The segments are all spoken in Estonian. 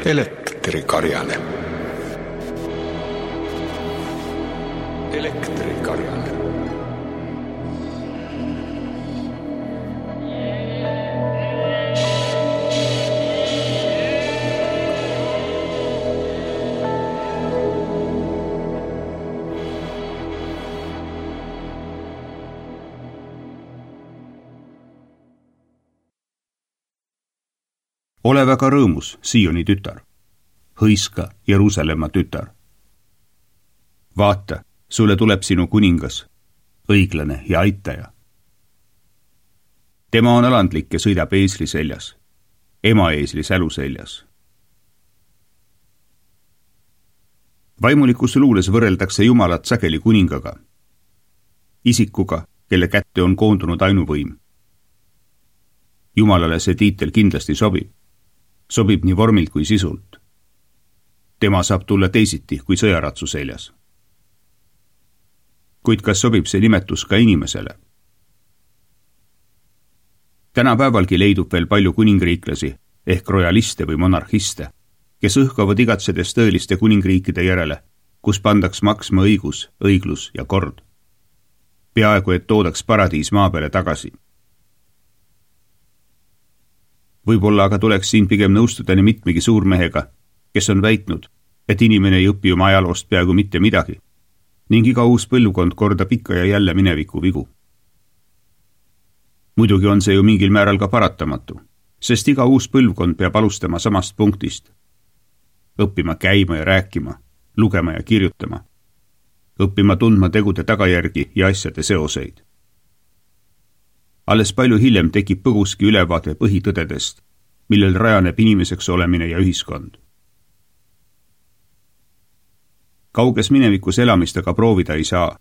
Elektrikarjane. Elektrikarjane. Ole väga rõõmus, Sioni tütar. Hõiska, Jeruusalemma tütar. Vaata, sulle tuleb sinu kuningas, õiglane ja aitaja. Tema on alandlik ja sõidab eesli seljas, emaeesli sälu seljas. Vaimulikus luules võrreldakse Jumalat sageli kuningaga, isikuga, kelle kätte on koondunud ainuvõim. Jumalale see tiitel kindlasti sobib nii vormilt kui sisult. Tema saab tulla teisiti kui sõjaratsu seljas. Kuid kas sobib see nimetus ka inimesele? Tänapäevalgi leidub veel palju kuningriiklasi ehk royaliste või monarhiste, kes õhkavad igatsedes tõeliste kuningriikide järele, kus pandaks maksma õigus, õiglus ja kord. Peaaegu, et toodaks paradiis maa peale tagasi. Võib-olla aga tuleks siin pigem nõustuda nii mitmegi suurmehega, kes on väitnud, et inimene ei õpi oma ajaloost peaaegu mitte midagi ning iga uus põlvkond kordab ikka ja jälle mineviku vigu. Muidugi on see ju mingil määral ka paratamatu, sest iga uus põlvkond peab alustama samast punktist. Õppima käima ja rääkima, lugema ja kirjutama, õppima tundma tegude tagajärgi ja asjade seoseid. Alles palju hiljem tekib põguski ülevaade põhitõdedest, millel rajaneb inimeseks olemine ja ühiskond. Kauges minevikus elamist aga proovida ei saa,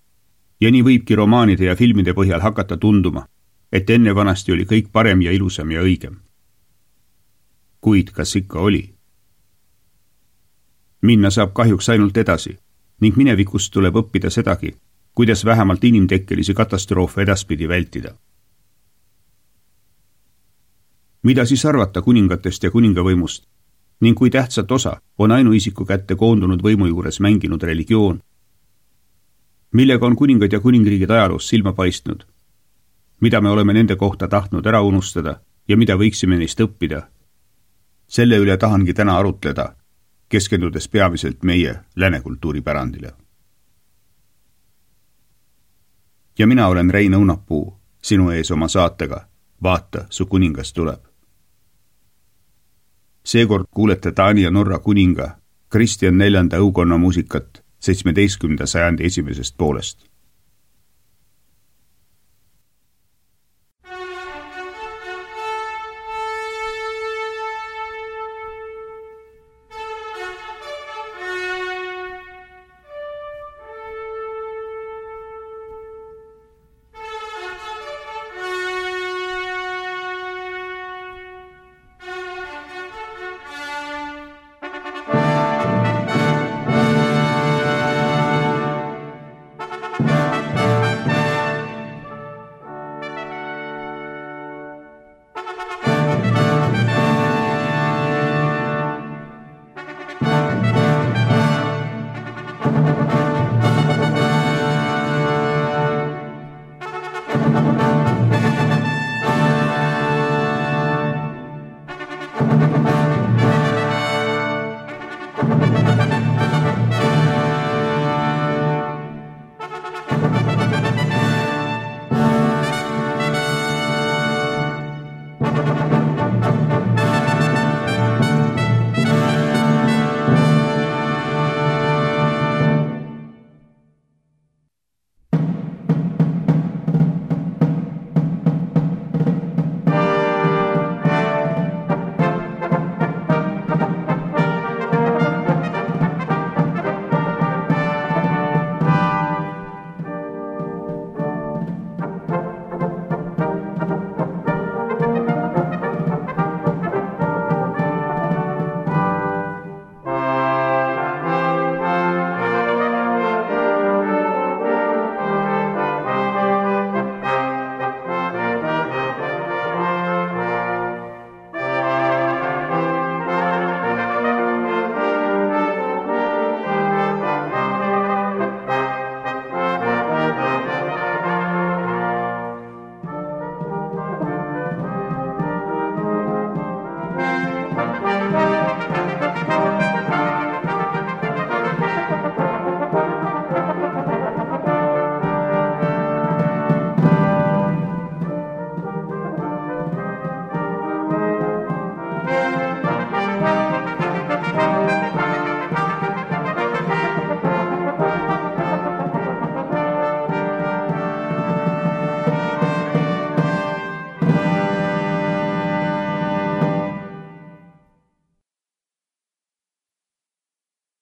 ja nii võibki romaanide ja filmide põhjal hakata tunduma, et enne vanasti oli kõik parem ja ilusam ja õigem. Kuid kas ikka oli? Minna saab kahjuks ainult edasi, ning minevikust tuleb õppida sedagi, kuidas vähemalt inimtekkelisi katastroofe edaspidi vältida. Mida siis arvata kuningatest ja kuningavõimust ning kui tähtsat osa on ainuisiku kätte koondunud võimu juures mänginud religioon? Millega on kuningad ja kuningriigid ajaloos silma paistnud? Mida me oleme nende kohta tahtnud ära unustada ja mida võiksime neist õppida? Selle üle tahangi täna arutleda, keskendudes peamiselt meie läänekultuuripärandile. Ja mina olen Rein Õunapuu, sinu ees oma saatega Vaata, su kuningas tuleb. Seekord kuulete Taani ja Norra kuninga Kristjan 4. õukonna muusikat 17. sajandi esimesest poolest.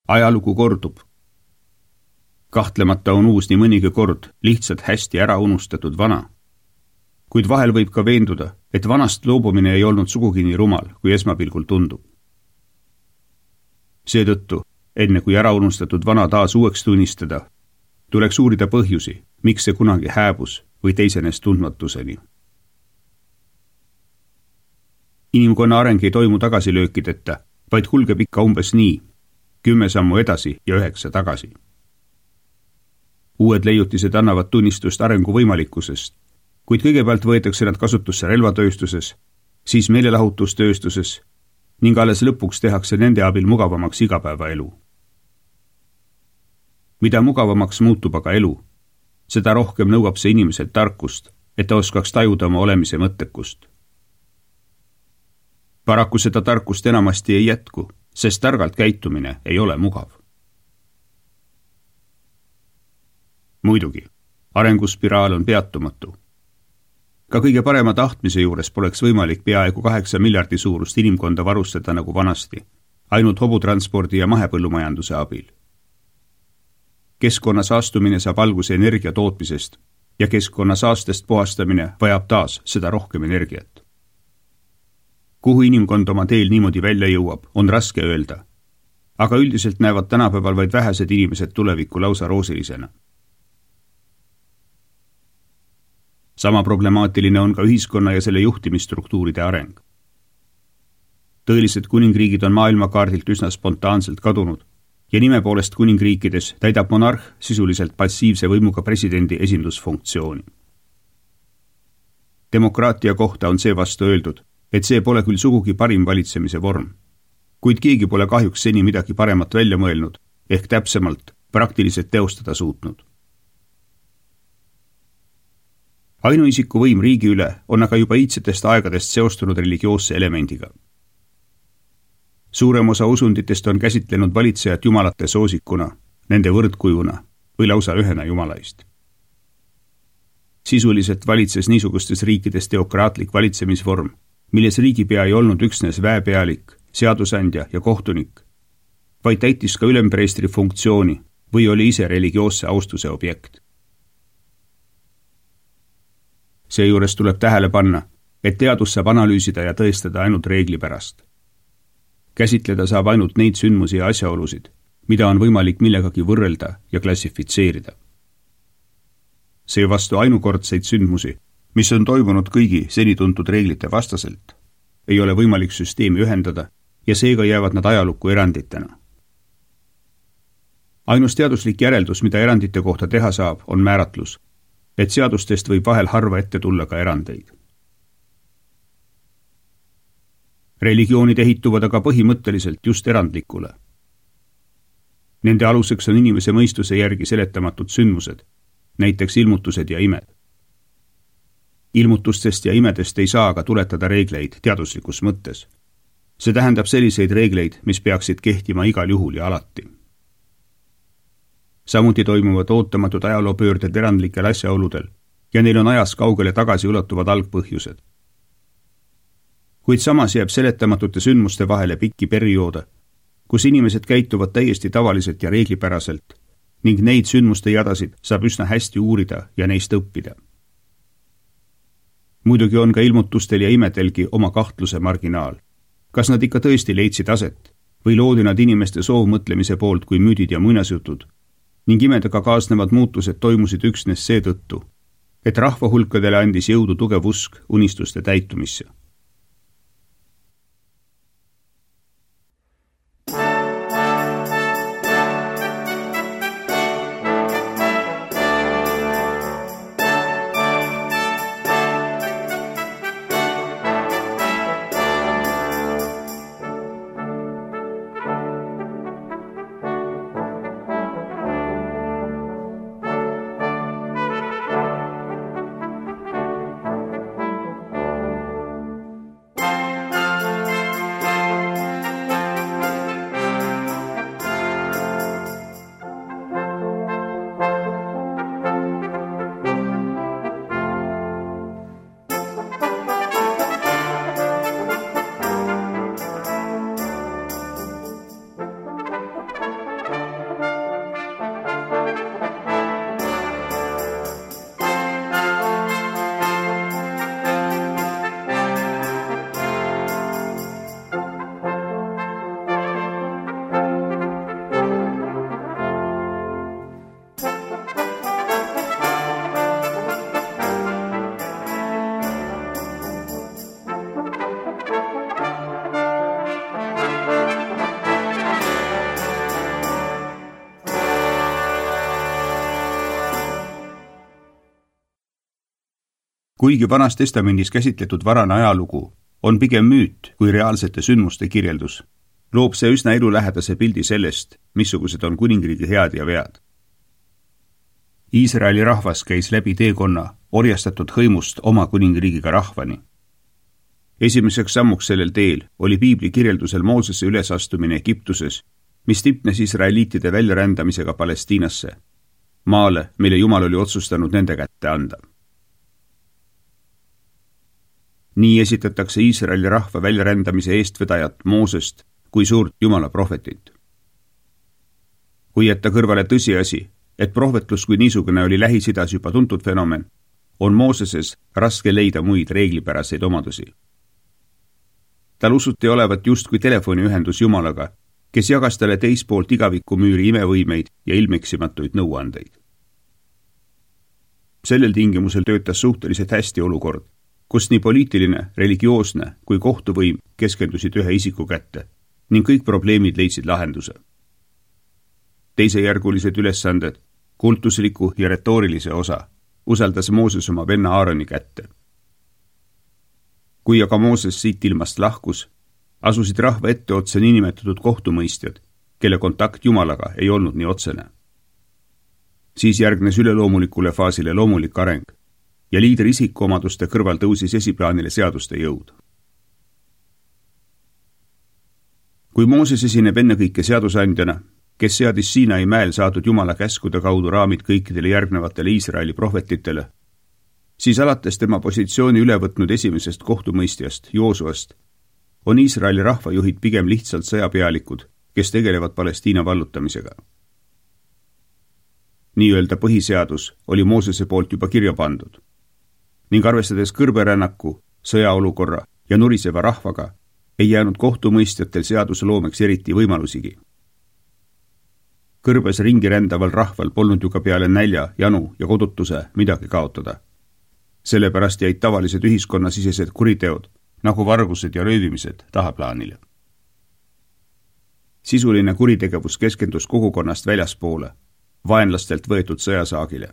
Ajalugu kordub. Kahtlemata on uus nii mõnigi kord lihtsalt hästi ära unustatud vana. Kuid vahel võib ka veenduda, et vanast loobumine ei olnud sugugi nii rumal, kui esmapilgul tundub. Seetõttu, enne kui ära unustatud vana taas uueks tunnistada, tuleks uurida põhjusi, miks see kunagi hääbus või teisenes tundmatuseni. Inimkonna areng ei toimu tagasilöökideta, vaid kulgeb ikka umbes nii, 10 sammu edasi ja 9 tagasi. Uued leiutised annavad tunnistust arengu võimalikkusest, kuid kõigepealt võetakse nad kasutusse relvatööstuses, siis meelelahutustööstuses ning alles lõpuks tehakse nende abil mugavamaks igapäevaelu. Mida mugavamaks muutub aga elu, seda rohkem nõuab see inimeselt tarkust, et ta oskaks tajuda oma olemise mõttekust. Paraku seda tarkust enamasti ei jätku, sest targalt käitumine ei ole mugav. Muidugi, arenguspiraal on peatumatu. Ka kõige parema tahtmise juures poleks võimalik peaaegu 8 miljardi suurust inimkonda varustada nagu vanasti, ainult hobutranspordi ja mahepõllumajanduse abil. Keskkonna saastumine saab alguse energia tootmisest ja keskkonna saastest puhastamine vajab taas seda rohkem energiat. Kuhu inimkond oma teel niimoodi välja jõuab, on raske öelda, aga üldiselt näevad tänapäeval vaid vähesed inimesed tulevikku lausa roosilisena. Sama problemaatiline on ka ühiskonna ja selle juhtimisstruktuuride areng. Tõelised kuningriigid on maailmakaardilt üsna spontaanselt kadunud ja nime poolest kuningriikides täidab monarh sisuliselt passiivse võimuga presidendi esindusfunktsiooni. Demokraatia kohta on seevastu öeldud, et see pole küll sugugi parim valitsemise vorm, kuid keegi pole kahjuks seni midagi paremat välja mõelnud, ehk täpsemalt praktiliselt teostada suutnud. Ainuisiku võim riigi üle on aga juba iidsetest aegadest seostunud religioosse elemendiga. Suurem osa usunditest on käsitlenud valitsejat jumalate soosikuna, nende võrdkujuna või lausa ühena jumalaist. Sisuliselt valitses niisugustes riikides teokraatlik valitsemisvorm, milles riigipea ei olnud üksnes väepealik, seadusandja ja kohtunik, vaid täitis ka ülempreestri funktsiooni või oli ise religioosse austuse objekt. Seejuures tuleb tähele panna, et teadus saab analüüsida ja tõestada ainult reegli pärast. Käsitleda saab ainult neid sündmusi ja asjaolusid, mida on võimalik millegagi võrrelda ja klassifitseerida. Seevastu ainukordseid sündmusi, mis on toimunud kõigi seni tuntud reeglite vastaselt, ei ole võimalik süsteemi ühendada ja seega jäävad nad ajalukku eranditena. Ainus teaduslik järeldus, mida erandite kohta teha saab, on määratlus, et seadustest võib vahel harva ette tulla ka erandeid. Religioonid ehituvad aga põhimõtteliselt just erandlikule. Nende aluseks on inimese mõistuse järgi seletamatud sündmused, näiteks ilmutused ja imed. Ilmutustest ja imedest ei saa aga tuletada reegleid teaduslikus mõttes. See tähendab selliseid reegleid, mis peaksid kehtima igal juhul ja alati. Samuti toimuvad ootamatud ajaloopöörded erandlikel asjaoludel ja neil on ajas kaugele tagasi ulatuvad algpõhjused. Kuid samas jääb seletamatute sündmuste vahele pikki perioode, kus inimesed käituvad täiesti tavaliselt ja reeglipäraselt ning neid sündmuste jadasid saab üsna hästi uurida ja neist õppida. Muidugi on ka ilmutustel ja imedelgi oma kahtluse marginaal. Kas nad ikka tõesti leidsid aset või loodi nad inimeste soovmõtlemise poolt kui müüdid ja muinasjutud ning imedega kaasnevad muutused toimusid üksnes seetõttu, et rahvahulkadele andis jõudu tugev usk unistuste täitumisse. Kuigi Vanas Testamendis käsitletud varane ajalugu on pigem müüt kui reaalsete sündmuste kirjeldus, loob see üsna elulähedase pildi sellest, missugused on kuningriigi head ja vead. Iisraeli rahvas käis läbi teekonna orjastatud hõimust oma kuningriigiga rahvani. Esimeseks sammuks sellel teel oli piibli kirjeldusel Moosese ülesastumine Egiptuses, mis tipnes israeliitide väljarändamisega Palestiinasse, maale, mille Jumal oli otsustanud nende kätte anda. Nii esitatakse Iisraeli rahva väljarändamise eestvedajat Moosest kui suurt Jumala prohvetit. Kui jätta kõrvale tõsiasi, et prohvetlus kui niisugune oli Lähis-Idas juba tuntud fenomen, on Mooseses raske leida muid reeglipäraseid omadusi. Tal usuti olevat justkui telefoniühendus Jumalaga, kes jagas talle teispoolt igavikumüüri imevõimeid ja ilmeksimatuid nõuandeid. Sellel tingimusel töötas suhteliselt hästi olukord, kus nii poliitiline, religioosne kui kohtuvõim keskendusid ühe isiku kätte ning kõik probleemid leidsid lahenduse. Teisejärgulised ülesanded, kultusliku ja retoorilise osa, usaldas Mooses oma venna Aaroni kätte. Kui aga Mooses siit ilmast lahkus, asusid rahva etteotsa niinimetatud kohtumõistjad, kelle kontakt Jumalaga ei olnud nii otsene. Siis järgnes üleloomulikule faasile loomulik areng ja liidri isikuomaduste kõrval tõusis esiplaanile seaduste jõud. Kui Mooses esineb ennekõike seadusandjana, kes seadis Siinai mäel saadud Jumala käskude kaudu raamid kõikidele järgnevatele Iisraeli prohvetitele, siis alates tema positsiooni üle võtnud esimesest kohtumõistjast, Joosuast, on Iisraeli rahvajuhid pigem lihtsalt sõjapealikud, kes tegelevad Palestiina vallutamisega. Nii-öelda põhiseadus oli Moosese poolt juba kirja pandud ning arvestades kõrberännaku, sõjaolukorra ja nuriseva rahvaga, ei jäänud kohtumõistjatel seadusloomeks eriti võimalusigi. Kõrbes ringi rändaval rahval polnud ju ka peale nälja, janu ja kodutuse midagi kaotada. Sellepärast jäid tavalised ühiskonnasisesed kuriteod, nagu vargused ja röövimised, tahaplaanile. Sisuline kuritegevus keskendus kogukonnast väljaspoole, vaenlastelt võetud sõjasaagile.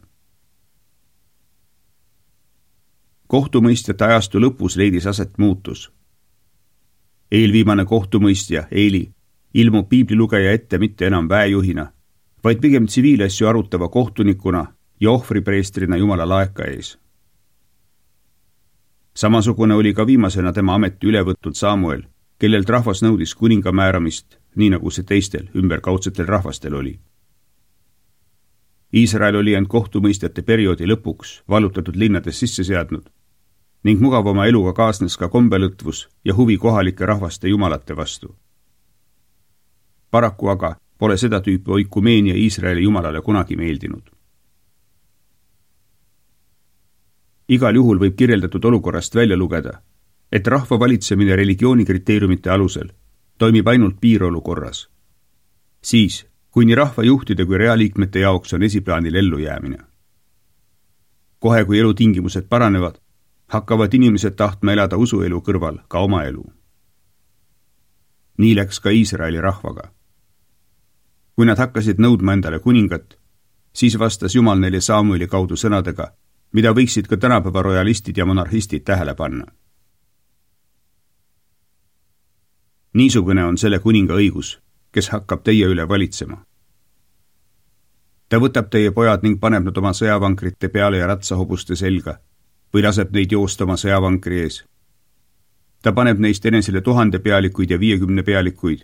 Kohtumõistjate ajastu lõpus leidis aset muutus. Eelviimane kohtumõistja, Eeli, ilmub piiblilugeja ette mitte enam väejuhina, vaid pigem tsiviilasju arutava kohtunikuna ja ohvripreestrina Jumala laeka ees. Samasugune oli ka viimasena tema ameti üle võtnud Samuel, kellelt rahvas nõudis kuninga määramist, nii nagu see teistel ümberkaudsetel rahvastel oli. Iisrael oli end kohtumõistjate perioodi lõpuks vallutatud linnades sisse seadnud ning mugavama eluga kaasnes ka kombelõtvus ja huvi kohalike rahvaste jumalate vastu. Paraku aga pole seda tüüpi oikumeenia Iisraeli jumalale kunagi meeldinud. Igal juhul võib kirjeldatud olukorrast välja lugeda, et rahva valitsemine religioonikriteeriumite alusel toimib ainult piirolukorras. Siis, kui nii rahvajuhtide kui realiikmete jaoks on esiplaanil ellujäämine. Kohe, kui elutingimused paranevad, hakkavad inimesed tahtma elada usuelu kõrval ka oma elu. Nii läks ka Iisraeli rahvaga. Kui nad hakkasid nõudma endale kuningat, siis vastas Jumal neile Samueli kaudu sõnadega, mida võiksid ka tänapäeva royalistid ja monarhistid tähele panna. Niisugune on selle kuninga õigus, kes hakkab teie üle valitsema. Ta võtab teie pojad ning paneb nad oma sõjavankrite peale ja ratsahobuste selga või laseb neid joosta oma sõjavankri ees. Ta paneb neist enesele 1000 pealikuid ja 50 pealikuid.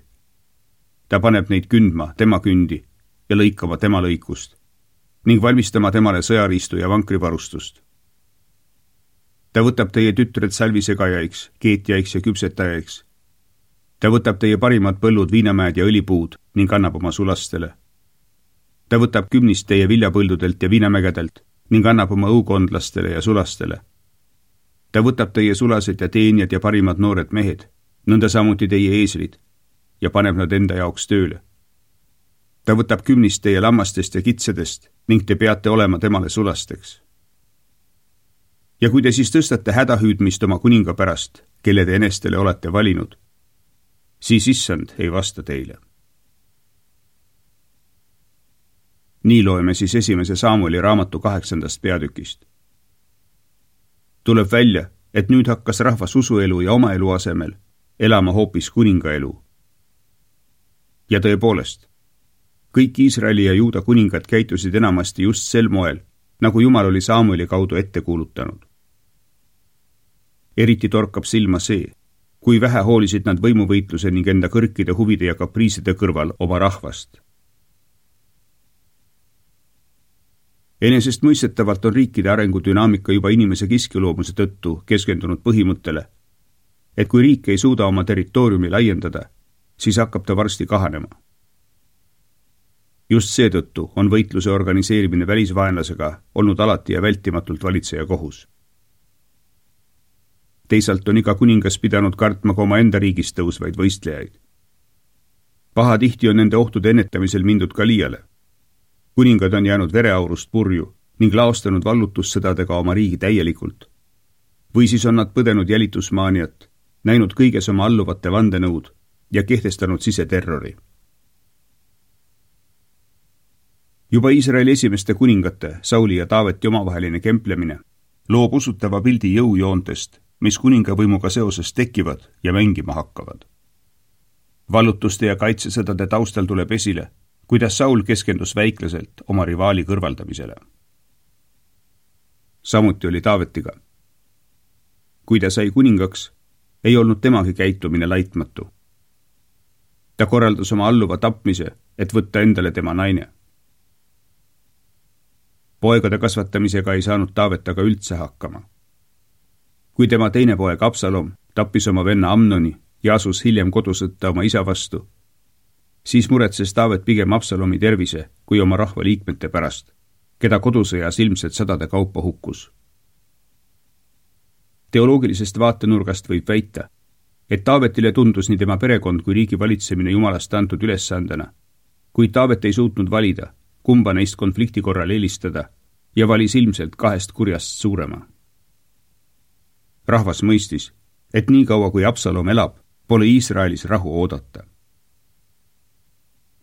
Ta paneb neid kündma tema kündi ja lõikama tema lõikust ning valmistama temale sõjariistu ja vankrivarustust. Ta võtab teie tütred salvisegajaiks, keetjaiks ja küpsetajaiks. Ta võtab teie parimad põllud, viinamäed ja õlipuud ning annab oma sulastele. Ta võtab kümnist teie viljapõldudelt ja viinamägedelt ning annab oma õukondlastele ja sulastele. Ta võtab teie sulased ja teenjad ja parimad noored mehed, nõnda samuti teie eeslid, ja paneb nad enda jaoks tööle. Ta võtab kümnist teie lammastest ja kitsedest ning te peate olema temale sulasteks. Ja kui te siis tõstate hädahüüdmist oma kuninga pärast, kelle te enestele olete valinud, siis issand ei vasta teile. Nii loeme siis 1. Samueli raamatu 8. peatükist. Tuleb välja, et nüüd hakkas rahvas usuelu ja oma elu asemel elama hoopis kuningaelu. Ja tõepoolest, kõik Iisraeli ja Juuda kuningad käitusid enamasti just sel moel, nagu Jumal oli Samueli kaudu ette kuulutanud. Eriti torkab silma see, kui vähe hoolisid nad võimuvõitluse ning enda kõrkide huvide ja kapriiside kõrval oma rahvast. Enesestmõistetavalt on riikide arengudünaamika juba inimese kiskiloomuse tõttu keskendunud põhimõttele, et kui riik ei suuda oma territooriumi laiendada, siis hakkab ta varsti kahanema. Just seetõttu on võitluse organiseerimine välisvaenlasega olnud alati ja vältimatult valitseja kohus. Teisalt on iga kuningas pidanud kartma ka oma enda riigist tõusvaid võistlejaid. Pahatihti on nende ohtude ennetamisel mindud ka liiale. Kuningad on jäänud vereaurust purju ning laostanud vallutussõdadega oma riigi täielikult. Või siis on nad põdenud jälitusmaaniat, näinud kõiges oma alluvate vandenõud ja kehtestanud siseterrori. Juba Iisraeli esimeste kuningate, Sauli ja Taaveti omavaheline kemplemine loob usutava pildi jõujoontest, mis kuningavõimuga seoses tekivad ja mängima hakkavad. Vallutuste ja kaitsesõdade taustal tuleb esile, kuidas Saul keskendus väikleselt oma rivaali kõrvaldamisele. Samuti oli Taavetiga. Kui ta sai kuningaks, ei olnud temagi käitumine laitmatu. Ta korraldas oma alluva tapmise, et võtta endale tema naine. Poegade kasvatamisega ei saanud Taavet aga üldse hakkama. Kui tema teine poeg Absalom tappis oma venna Amnoni ja asus hiljem kodusõtta oma isa vastu, siis muretses Taavet pigem Absalomi tervise kui oma rahva liikmete pärast, keda kodusõjas ilmselt sadade kaupa hukkus. Teoloogilisest vaatenurgast võib väita, et Taavetile tundus nii tema perekond kui riigi valitsemine Jumalast antud ülesandena, kuid Taavet ei suutnud valida, kumba neist konflikti korral eelistada ja valis ilmselt kahest kurjast suurema. Rahvas mõistis, et nii kaua kui Absalom elab, pole Iisraelis rahu oodata.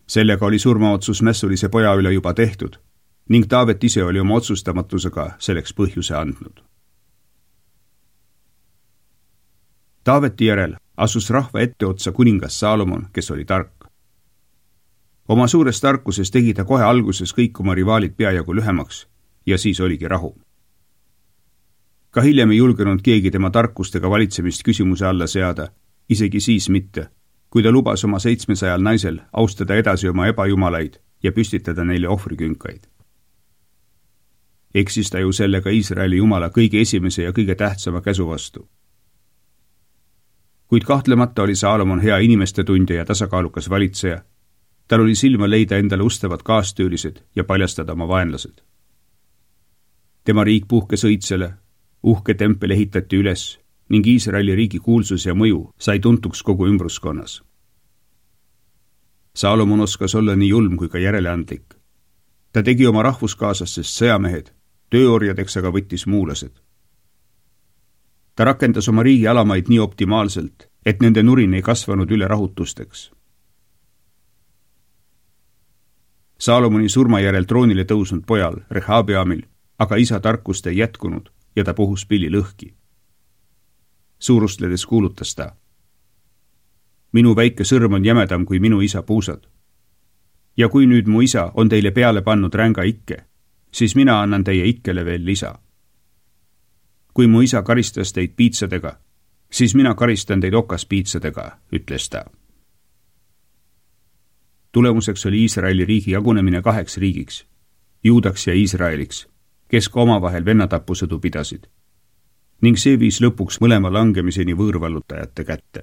Sellega oli surmaotsus mässulise poja üle juba tehtud ning Taavet ise oli oma otsustamatusega selleks põhjuse andnud. Taaveti järel asus rahva etteotsa kuningas Saalomon, kes oli tark. Oma suures tarkuses tegi ta kohe alguses kõik oma rivaalid peajagu lühemaks ja siis oligi rahu. Ka hiljem ei julgenud keegi tema tarkustega valitsemist küsimuse alla seada, isegi siis mitte, kui ta lubas oma 700 naisel austada edasi oma ebajumalaid ja püstitada neile ohvrikünkaid. Eksis ta ju sellega Iisraeli Jumala kõige esimese ja kõige tähtsama käsu vastu. Kuid kahtlemata oli Saalomon hea inimeste tundja ja tasakaalukas valitseja. Tal oli silma leida endale ustavad kaastüülised ja paljastada oma vaenlased. Tema riik puhkes õitsele, uhke tempel ehitati üles ning Iisraeli riigi kuulsus ja mõju sai tuntuks kogu ümbruskonnas. Saalomon oskas olla nii julm kui ka järeleandlik. Ta tegi oma rahvuskaaslastest sõjamehed, tööorjadeks aga võttis muulased. Ta rakendas oma riigi alamaid nii optimaalselt, et nende nurin ei kasvanud üle rahutusteks. Saalomoni surma järel troonile tõusnud pojal, Rehabeamil, aga isa tarkust ei jätkunud ja ta puhus pilli lõhki. Suurustledes kuulutas ta: minu väike sõrm on jämedam kui minu isa puusad. Ja kui nüüd mu isa on teile peale pannud ränga ikke, siis mina annan teie ikkele veel lisa. Kui mu isa karistas teid piitsadega, siis mina karistan teid okaspiitsadega, ütles ta. Tulemuseks oli Iisraeli riigi jagunemine 2 riigiks, Juudaks ja Iisraeliks, kes ka omavahel vennatapusõdu pidasid, ning see viis lõpuks mõlema langemiseni võõrvallutajate kätte.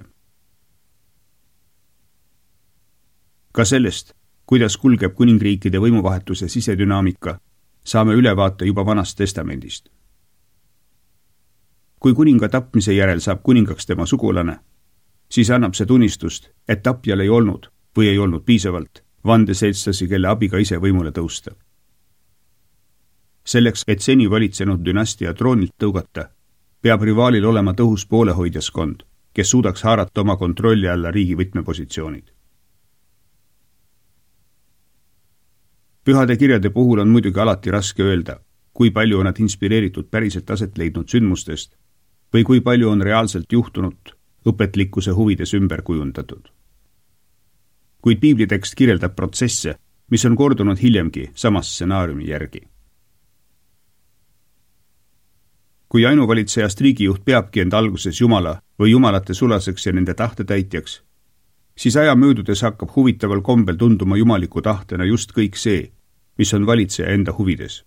Ka sellest, kuidas kulgeb kuningriikide võimuvahetuse sisedünaamika, saame ülevaate juba Vanast testamendist. Kui kuninga tapmise järel saab kuningaks tema sugulane, siis annab see tunnistust, et tapjal ei olnud või ei olnud piisavalt vandeseltslasi, kelle abiga ise võimule tõusta. Selleks, et seni valitsenud dünastia troonilt tõugata, peab rivaalil olema tõhus poolehoidjaskond, kes suudaks haarata oma kontrolli alla riigi võtmepositsioonid. Pühade kirjade puhul on muidugi alati raske öelda, kui palju on nad inspireeritud päriselt aset leidnud sündmustest või kui palju on reaalselt juhtunud õpetlikkuse huvides ümber kujundatud. Kuid piiblitekst kirjeldab protsesse, mis on kordunud hiljemgi sama stsenaariumi järgi. Kui ainuvalitsejast riigijuht peabki end alguses Jumala või jumalate sulaseks ja nende tahte-täitjaks, siis aja möödudes hakkab huvitaval kombel tunduma jumaliku tahtena just kõik see, mis on valitseja enda huvides.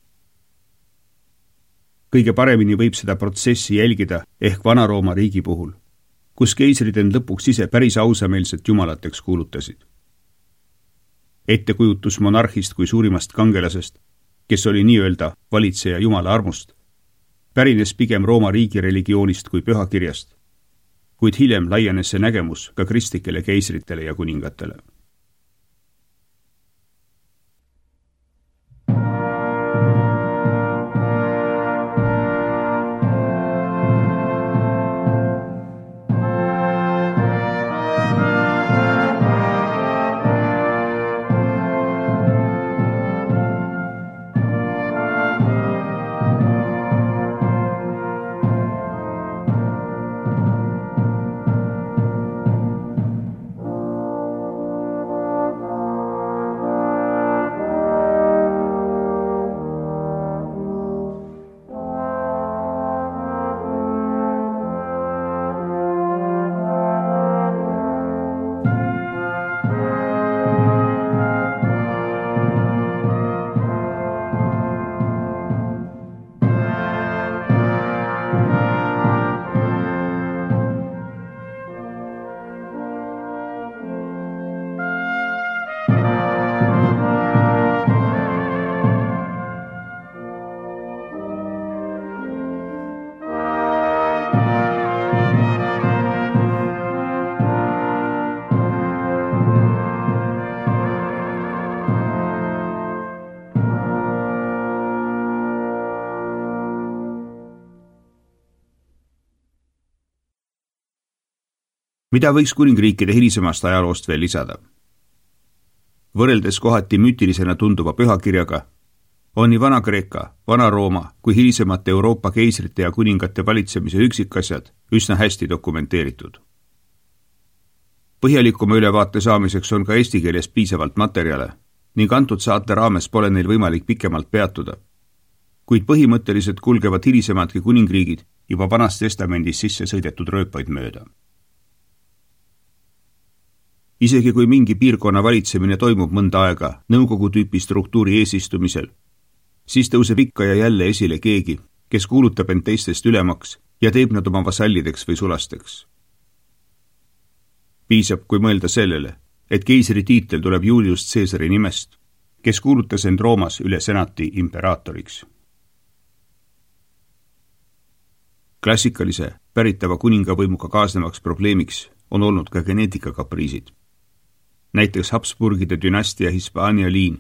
Kõige paremini võib seda protsessi jälgida ehk Vana-Rooma riigi puhul, kus keisrid end lõpuks ise päris ausameelselt jumalateks kuulutasid. Ettekujutus monarhist kui suurimast kangelasest, kes oli nii-öelda valitseja Jumala armust, pärines pigem Rooma riigi religioonist kui pühakirjast, kuid hiljem laienes see nägemus ka kristlikele keisritele ja kuningatele. Mida võiks kuningriikide hilisemast ajaloost veel lisada? Võrreldes kohati müütilisena tunduva pühakirjaga, on nii Vana-Kreeka, Vana-Rooma kui hilisemate Euroopa keisrite ja kuningate valitsemise üksikasjad üsna hästi dokumenteeritud. Põhjalikuma ülevaate saamiseks on ka eesti keeles piisavalt materjale ning antud saate raames pole neil võimalik pikemalt peatuda, kuid põhimõtteliselt kulgevad hilisemadki kuningriigid juba Vanas Testamendis sisse sõidetud rööpaid mööda. Isegi kui mingi piirkonna valitsemine toimub mõnda aega nõukogu tüüpi struktuuri eesistumisel, siis tõuseb ikka ja jälle esile keegi, kes kuulutab end teistest ülemaks ja teeb nad oma vasallideks või sulasteks. Piisab, kui mõelda sellele, et keisri tiitel tuleb Julius Caesari nimest, kes kuulutas end Roomas üle senati imperaatoriks. Klassikalise päritava kuningavõimuga kaasnevaks probleemiks on olnud ka geneetikakapriisid. Näiteks Habsburgide dünastia Hispaania liin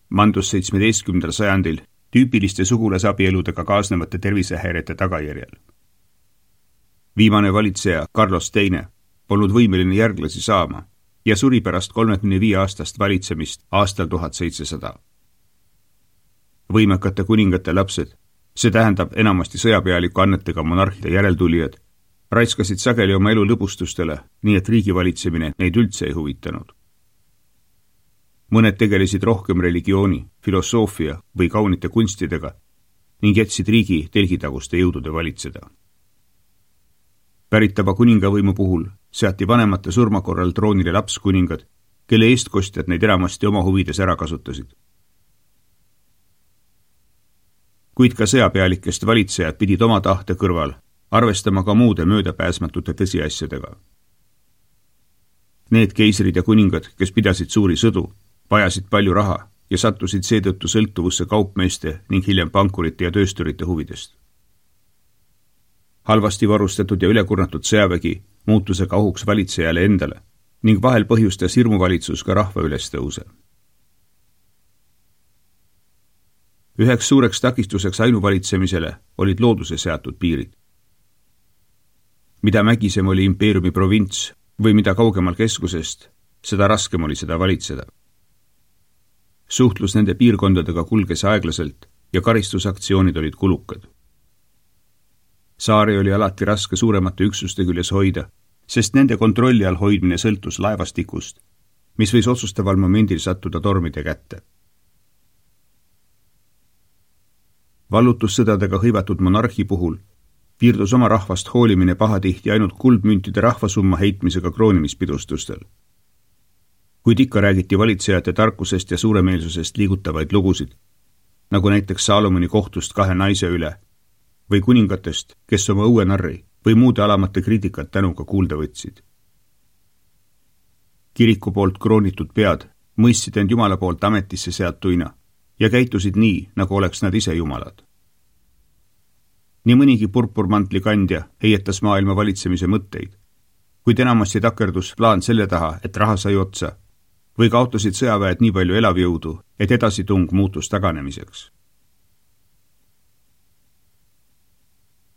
mandus 17. sajandil tüüpiliste sugulasabieludega kaasnevate tervisehäirete tagajärjel. Viimane valitseja Carlos II polnud võimeline järglasi saama ja suri pärast 35 aastast valitsemist aastal 1700. Võimekate kuningate lapsed, see tähendab enamasti sõjapealiku annetega monarhide järeltulijad, raiskasid sageli oma elu lõbustustele, nii et riigi valitsemine neid üldse ei huvitanud. Mõned tegelesid rohkem religiooni, filosoofia või kaunite kunstidega ning jätsid riigi telgitaguste jõudude valitseda. Päritava kuningavõimu puhul seati vanemate surma korral troonile lapskuningad, kelle eestkostjad neid enamasti oma huvides ära kasutasid. Kuid ka sõjapealikest valitsejad pidid oma tahte kõrval arvestama ka muude möödapääsmatute tõsiasjadega. Need keisrid ja kuningad, kes pidasid suuri sõdu, vajasid palju raha ja sattusid seetõttu sõltuvusse kaupmeeste ning hiljem pankurite ja töösturite huvidest. Halvasti varustatud ja ülekurnatud sõjavägi muutusega ohuks valitsejale endale ning vahel põhjustas hirmuvalitsus ka rahva ülestõuse. Üheks suureks takistuseks ainuvalitsemisele olid looduse seatud piirid. Mida mägisem oli impeeriumi provints või mida kaugemal keskusest, seda raskem oli seda valitseda. Suhtlus nende piirkondadega kulges aeglaselt ja karistusaktsioonid olid kulukad. Saari oli alati raske suuremate üksuste küljes hoida, sest nende kontrolli all hoidmine sõltus laevastikust, mis võis otsustaval momendil sattuda tormide kätte. Vallutussõdadega hõivatud monarhi puhul piirdus oma rahvast hoolimine pahatihti ainult kuldmüntide rahvasumma heitmisega kroonimispidustustel. Kuid ikka räägiti valitsejate tarkusest ja suuremeelsusest liigutavaid lugusid, nagu näiteks Saalomoni kohtust 2 naise üle või kuningatest, kes oma õuenarri või muude alamate kriitikat tänuga kuulda võtsid. Kiriku poolt kroonitud pead mõistsid end Jumala poolt ametisse seatuina ja käitusid nii, nagu oleks nad ise Jumalad. Nii mõnigi purpurmantli kandja heietas maailma valitsemise mõtteid, kuid enamasti takerdus plaan selle taha, et raha sai otsa, või kaotasid sõjaväed nii palju elavjõudu, et edasitung muutus taganemiseks.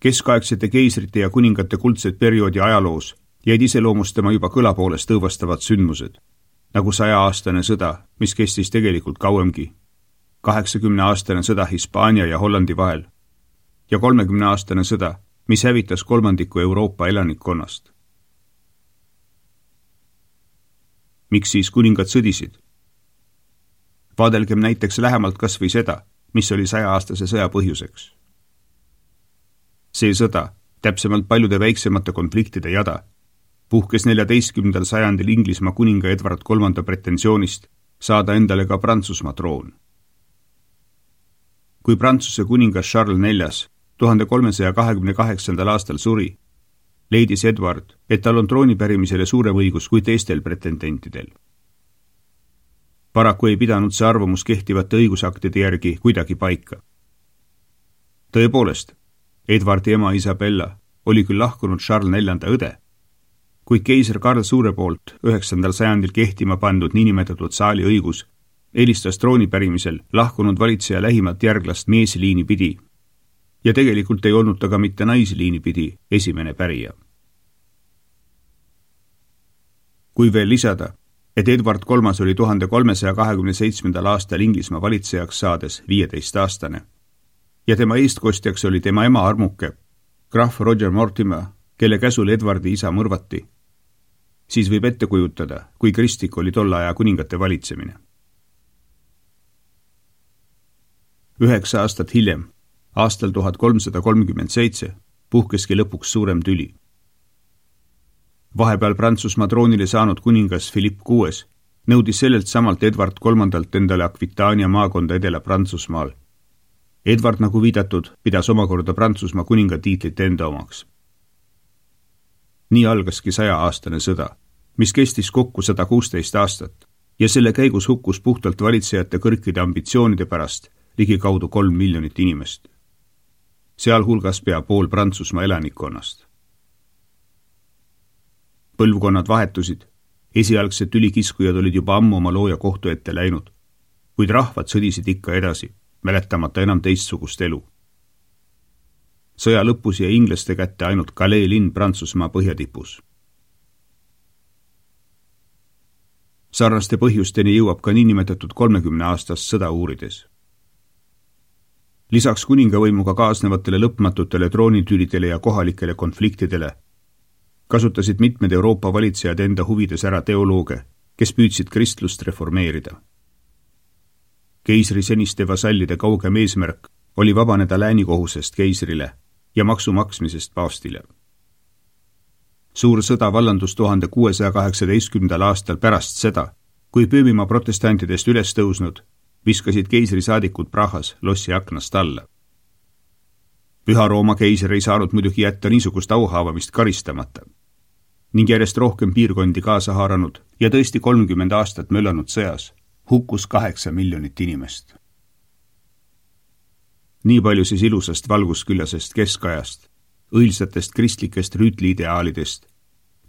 Keskaegsete keisrite ja kuningate kuldsed perioodi ajaloos jäid iseloomustama juba kõlapoolest õõvastavad sündmused, nagu 100-aastane sõda, mis kestis tegelikult kauemgi, 80-aastane sõda Hispaania ja Hollandi vahel ja 30-aastane sõda, mis hävitas 1/3 Euroopa elanikkonnast. Miks siis kuningad sõdisid? Vaadelgem näiteks lähemalt kas või seda, mis oli 100-aastase sõja põhjuseks. See sõda, täpsemalt paljude väiksemate konfliktide jada, puhkes 14. sajandil Inglismaa kuninga Edward III pretensioonist saada endale ka Prantsusmaa troon. Kui Prantsuse kuningas Charles IV 1328. aastal suri, leidis Edward, et tal on trooni pärimisele suurem õigus kui teistel pretendentidel. Paraku ei pidanud see arvamus kehtivate õigusaktide järgi kuidagi paika. Tõepoolest, Edwardi ema Isabella oli küll lahkunud Charles IV õde, kuid keiser Karl Suure poolt 9. sajandil kehtima pandud niinimetatud saali õigus eelistas trooni pärimisel lahkunud valitseja lähimat järglast meesliini pidi ja tegelikult ei olnud ta ka mitte naisliini pidi esimene pärija. Kui veel lisada, et Edward III oli 1327. aastal Inglismaa valitsejaks saades 15-aastane ja tema eestkostjaks oli tema ema armuke, krahv Roger Mortimer, kelle käsul Edwardi isa mõrvati, siis võib ette kujutada, kui kristlik oli tolle aja kuningate valitsemine. 9 aastat hiljem, aastal 1337, puhkeski lõpuks suurem tüli. Vahepeal Prantsusmaa troonile saanud kuningas Philippe VI nõudis sellelt samalt Edward III endale Aquitania maakonda Edela-Prantsusmaal. Edward, nagu viidatud, pidas omakorda Prantsusmaa kuninga tiitlit enda omaks. Nii algaski 100-aastane sõda, mis kestis kokku 116 aastat ja selle käigus hukkus puhtalt valitsejate kõrgide ambitsioonide pärast ligikaudu 3 miljonit inimest. Sealhulgas pea pool Prantsusmaa elanikkonnast. Põlvkonnad vahetusid, esialgsed tülikiskujad olid juba ammu oma looja kohtu ette läinud, kuid rahvad sõdisid ikka edasi, mäletamata enam teistsugust elu. Sõja lõpus jäi inglaste kätte ainult Calais linn Prantsusmaa põhjatipus. Sarnaste põhjusteni jõuab ka niinimetatud 30-aastast sõda uurides. Lisaks kuningavõimuga kaasnevatele lõpmatutele troonitülidele ja kohalikele konfliktidele kasutasid mitmed Euroopa valitsejad enda huvides ära teolooge, kes püüdsid kristlust reformeerida. Keisri seniste vasallide kaugem eesmärk oli vabaneda läänikohusest keisrile ja maksu maksmisest paavstile. Suur sõda vallandus 1618. aastal pärast seda, kui Pöömimaa protestantidest üles tõusnud, viskasid keisri saadikud Prahas lossi aknast alla. Püha Rooma keiser ei saanud muidugi jätta niisugust auhaavamist karistamata ning järjest rohkem piirkondi kaasa haaranud ja tõesti 30 aastat möllanud sõjas hukkus 8 miljonit inimest. Nii palju siis ilusast valgusküllasest keskajast, õilsatest kristlikest rüütliideaalidest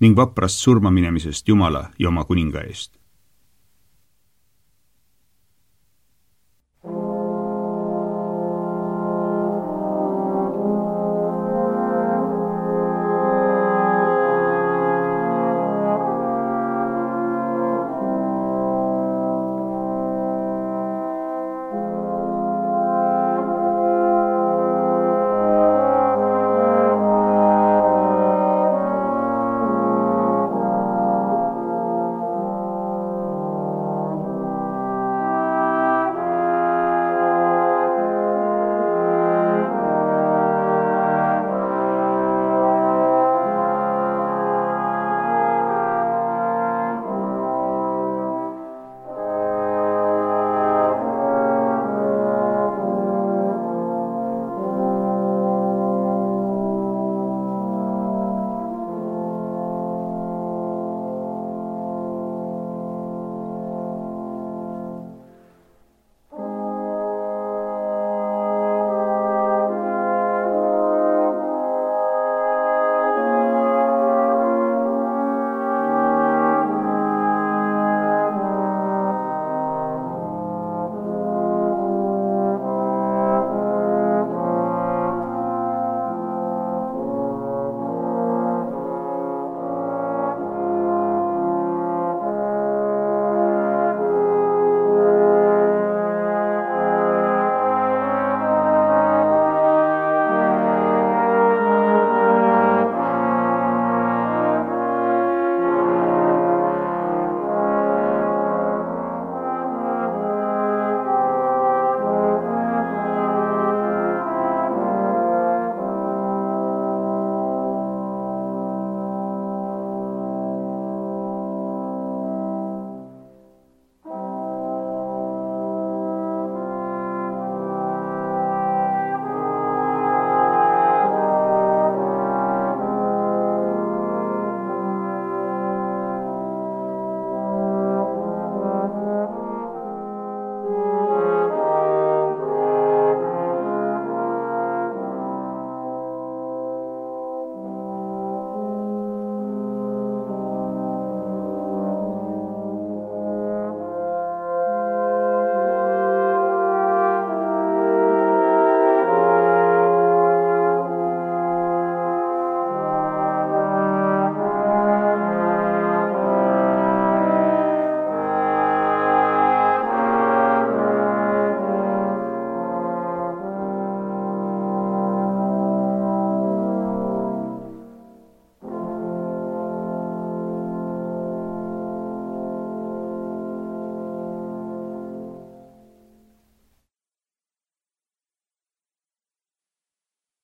ning vaprast surmaminemisest Jumala ja oma kuninga eest.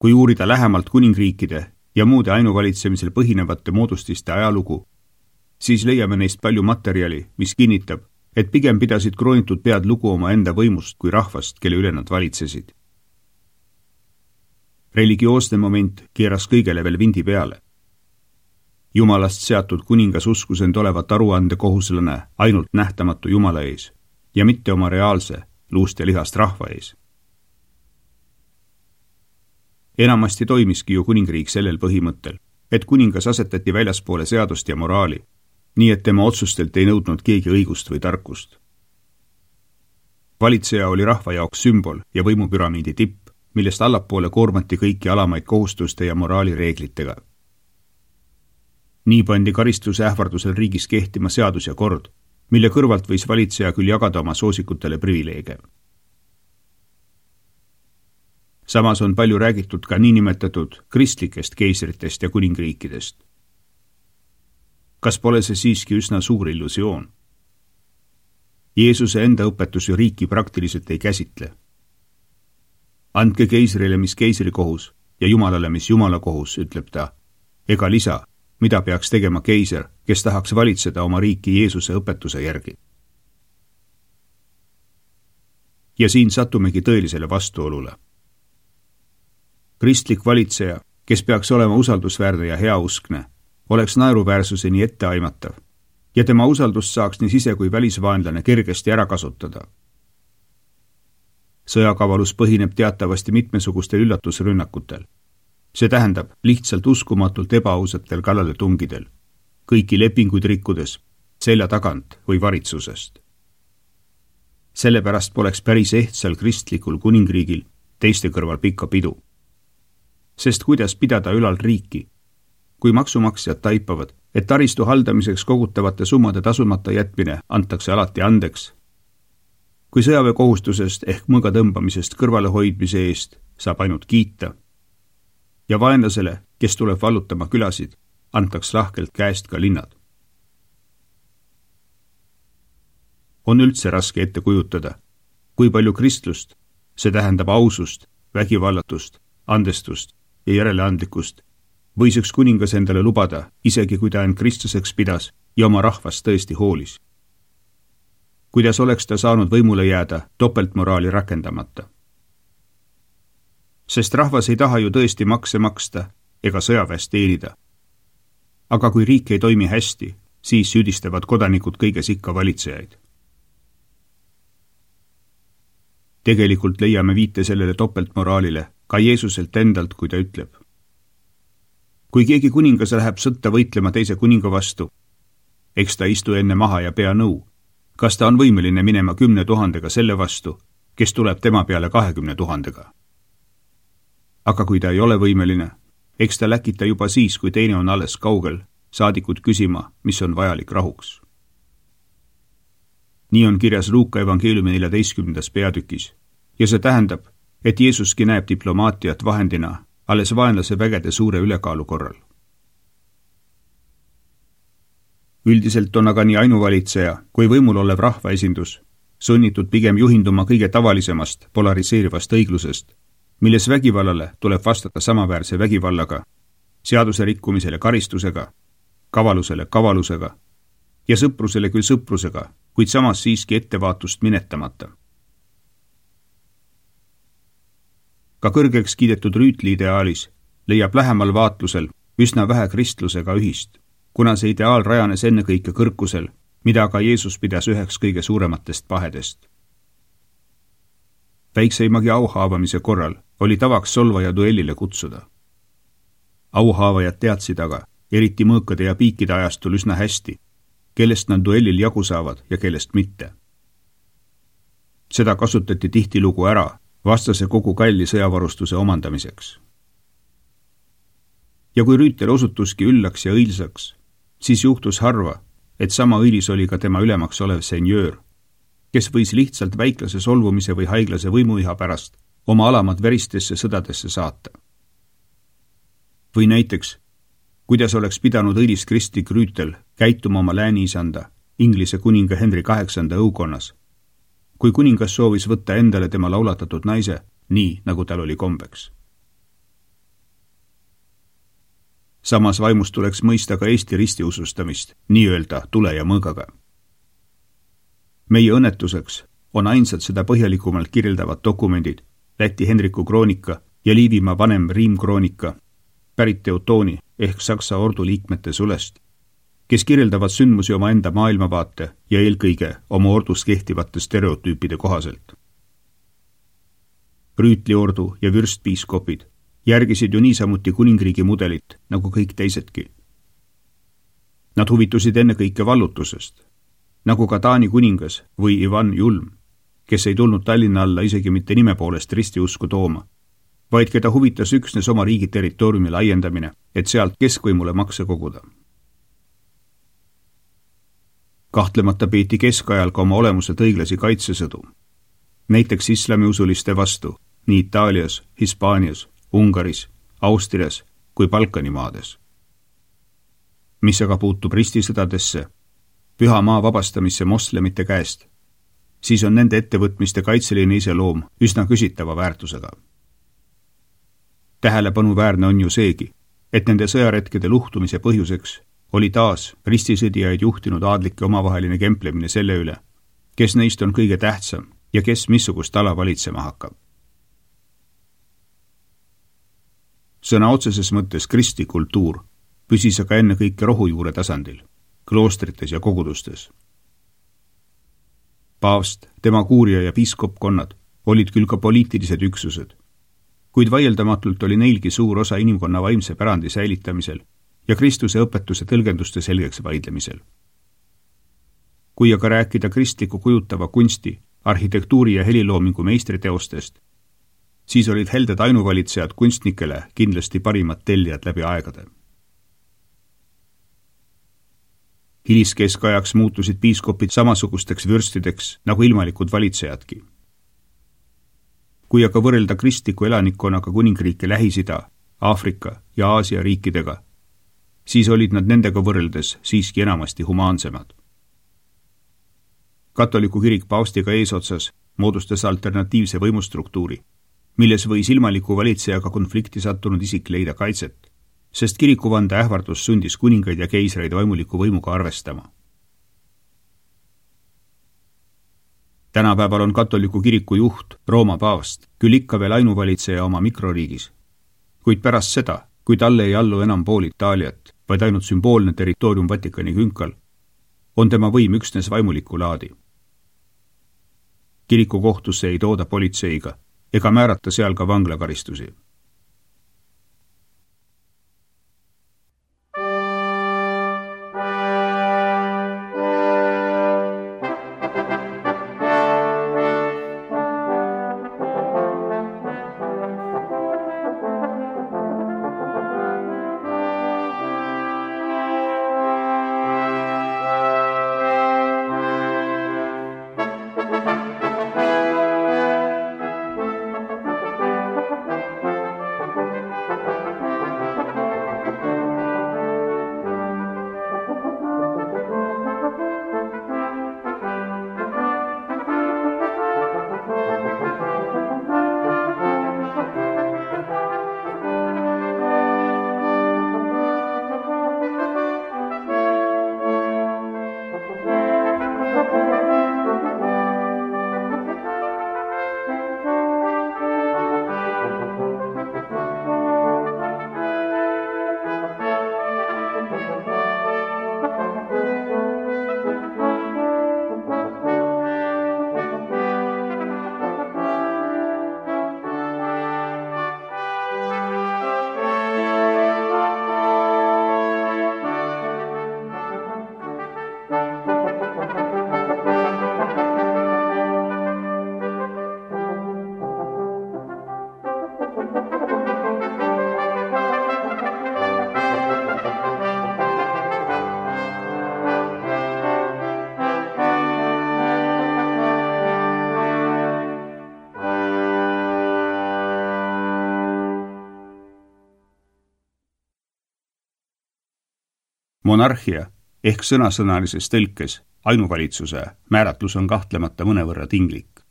Kui uurida lähemalt kuningriikide ja muude ainuvalitsemisel põhinevate moodustiste ajalugu, siis leiame neist palju materjali, mis kinnitab, et pigem pidasid kroonitud pead lugu oma enda võimust kui rahvast, kelle üle nad valitsesid. Religioosne moment keeras kõigele veel vindi peale. Jumalast seatud kuningas uskus end olevat aruandekohuslane ainult nähtamatu Jumala ees ja mitte oma reaalse, luust ja lihast rahva ees. Enamasti toimiski ju kuningriik sellel põhimõttel, et kuningas asetati väljaspoole seadust ja moraali, nii et tema otsustelt ei nõudnud keegi õigust või tarkust. Valitseja oli rahva jaoks sümbol ja võimupüramiidi tipp, millest allapoole koormati kõiki alamaid kohustuste ja moraali reeglitega. Nii pandi karistuse ähvardusel riigis kehtima seadus ja kord, mille kõrvalt võis valitseja küll jagada oma soosikutele privileege. Samas on palju räägitud ka niinimetatud kristlikest keisritest ja kuningriikidest. Kas pole see siiski üsna suur illusioon? Jeesuse enda õpetus ju riiki praktiliselt ei käsitle. Andke keisrile, mis keisri kohus, ja Jumalale, mis Jumala kohus, ütleb ta, ega lisa, mida peaks tegema keiser, kes tahaks valitseda oma riiki Jeesuse õpetuse järgi. Ja siin satumegi tõelisele vastuolule. Kristlik valitseja, kes peaks olema usaldusväärne ja heauskne, oleks naeruväärsuseni etteaimatav ja tema usaldust saaks nii sise- kui välisvaenlane kergesti ära kasutada. Sõjakavalus põhineb teatavasti mitmesugustel üllatusrünnakutel. See tähendab lihtsalt uskumatult ebaausatel kallaletungidel, kõiki lepinguid rikkudes, selja tagant või varitsusest. Sellepärast poleks päris ehtsal kristlikul kuningriigil teiste kõrval pikka pidu. Sest kuidas pidada ülal riiki, kui maksumaksjad taipavad, et taristu haldamiseks kogutavate summade tasumata jätmine antakse alati andeks, kui sõjaväekohustusest ehk mõõga tõmbamisest kõrvale hoidmise eest saab ainult kiita ja vaenlasele, kes tuleb vallutama külasid, antaks lahkelt käest ka linnad. On üldse raske ette kujutada, kui palju kristlust, see tähendab ausust, vägivallatust, andestust ja järeleandlikkust, võis üks kuningas endale lubada, isegi kui ta end kristlaseks pidas ja oma rahvast tõesti hoolis. Kuidas oleks ta saanud võimule jääda topeltmoraali rakendamata? Sest rahvas ei taha ju tõesti makse maksta ega sõjaväest teenida. Aga kui riik ei toimi hästi, siis süüdistavad kodanikud kõiges ikka valitsejaid. Tegelikult leiame viite sellele topeltmoraalile ka Jeesuselt endalt, kui ta ütleb. Kui keegi kuningas läheb sõtta võitlema teise kuninga vastu, eks ta istu enne maha ja pea nõu, kas ta on võimeline minema 10 000 selle vastu, kes tuleb tema peale 20 000. Aga kui ta ei ole võimeline, eks ta läkita juba siis, kui teine on alles kaugel, saadikud küsima, mis on vajalik rahuks. Nii on kirjas Luuka evangeeliumi 14. peatükis ja see tähendab, et Jeesuski näeb diplomaatiat vahendina alles vaenlase vägede suure ülekaalu korral. Üldiselt on aga nii ainuvalitseja kui võimul olev rahvaesindus sunnitud pigem juhinduma kõige tavalisemast polariseerivast õiglusest, milles vägivallale tuleb vastata samaväärse vägivallaga, seaduse rikkumisele karistusega, kavalusele kavalusega ja sõprusele küll sõprusega, kuid samas siiski ettevaatust minetamata. Ka kõrgeks kiidetud rüütli ideaalis leiab lähemal vaatlusel üsna vähe kristlusega ühist, kuna see ideaal rajanes ennekõike kõrkusel, mida ka Jeesus pidas üheks kõige suurematest pahedest. Väikseimagi auhaavamise korral oli tavaks solvaja duellile kutsuda. Auhaavajad teadsid aga, eriti mõõkade ja piikide ajastul üsna hästi, kellest nad duellil jagu saavad ja kellest mitte. Seda kasutati tihtilugu ära vastase kogu kalli sõjavarustuse omandamiseks. Ja kui rüütel osutuski üllaks ja õilsaks, siis juhtus harva, et sama õilis oli ka tema ülemaks olev senjöör, kes võis lihtsalt väiklase solvumise või haiglase võimuiha pärast oma alamad veristesse sõdadesse saata. Või näiteks, kuidas oleks pidanud õilis kristlik rüütel käituma oma lääniisanda, Inglise kuninga Henry VIII õukonnas, kui kuningas soovis võtta endale tema laulatatud naise, nii nagu tal oli kombeks. Samas vaimus tuleks mõista ka Eesti ristiusustamist, nii-öelda tule ja mõõgaga. Meie õnnetuseks on ainsad seda põhjalikumalt kirjeldavad dokumendid Läti Henriku kroonika ja Liivimaa vanem Riim kroonika, pärit Teutooni ehk Saksa ordu liikmete sulest, kes kirjeldavad sündmusi oma enda maailmavaate ja eelkõige oma ordus kehtivate stereotüüpide kohaselt. Rüütliordu ja vürstpiiskopid järgisid ju niisamuti kuningriigi mudelit nagu kõik teisedki. Nad huvitusid ennekõike vallutusest, nagu ka Taani kuningas või Ivan Julm, kes ei tulnud Tallinna alla isegi mitte nime poolest ristiusku tooma, vaid keda huvitas üksnes oma riigi territooriumi laiendamine, et sealt keskvõimule makse koguda. Kahtlemata peeti keskajal ka oma olemuselt õiglasi kaitsesõdu, näiteks islamiusuliste vastu nii Itaalias, Hispaanias, Ungaris, Austrias kui Balkani maades. Mis aga puutub ristisõdadesse, püha maa vabastamisse moslemite käest, siis on nende ettevõtmiste kaitseline iseloom üsna küsitava väärtusega. Tähelepanuväärne on ju seegi, et nende sõjaretkede luhtumise põhjuseks oli taas ristisõdijaid juhtinud aadlike omavaheline kemplemine selle üle, kes neist on kõige tähtsam ja kes missugust ala valitsema hakkab. Sõna otseses mõttes kristikultuur püsis aga ennekõike rohujuure tasandil, kloostrites ja kogudustes. Paavst, tema kuuria ja piiskopkonnad olid küll ka poliitilised üksused, kuid vaieldamatult oli neilgi suur osa inimkonna vaimse pärandi säilitamisel ja Kristuse õpetuse tõlgenduste selgeks vaidlemisel. Kui aga rääkida kristliku kujutava kunsti, arhitektuuri ja heliloomingu meistriteostest, siis olid helded ainuvalitsejad kunstnikele kindlasti parimad tellijad läbi aegade. Hiliskeskajaks muutusid piiskopid samasugusteks vürstideks nagu ilmalikud valitsejadki. Kui aga võrrelda kristliku elanikkonnaga kuningriike Lähis-Ida, Aafrika ja Aasia riikidega, siis olid nad nendega võrreldes siiski enamasti humaansemad. Katoliku kirik paavstiga eesotsas moodustas alternatiivse võimustruktuuri, milles võis ilmaliku valitsejaga konflikti sattunud isik leida kaitset, sest kirikuvande ähvardus sundis kuningaid ja keisreid vaimuliku võimuga arvestama. Tänapäeval on katoliku kiriku juht, Rooma paavst, küll ikka veel ainuvalitseja oma mikroriigis, kuid pärast seda, kui talle ei allu enam pool Itaaliat, vaid ainult sümboolne territoorium Vatikani künkal, on tema võim üksnes vaimuliku laadi. Kiriku kohtusse ei tooda politseiga ega määrata seal ka vanglakaristusi. Monarhia ehk sõnasõnalises tõlkes ainuvalitsuse määratlus on kahtlemata mõnevõrra tinglik.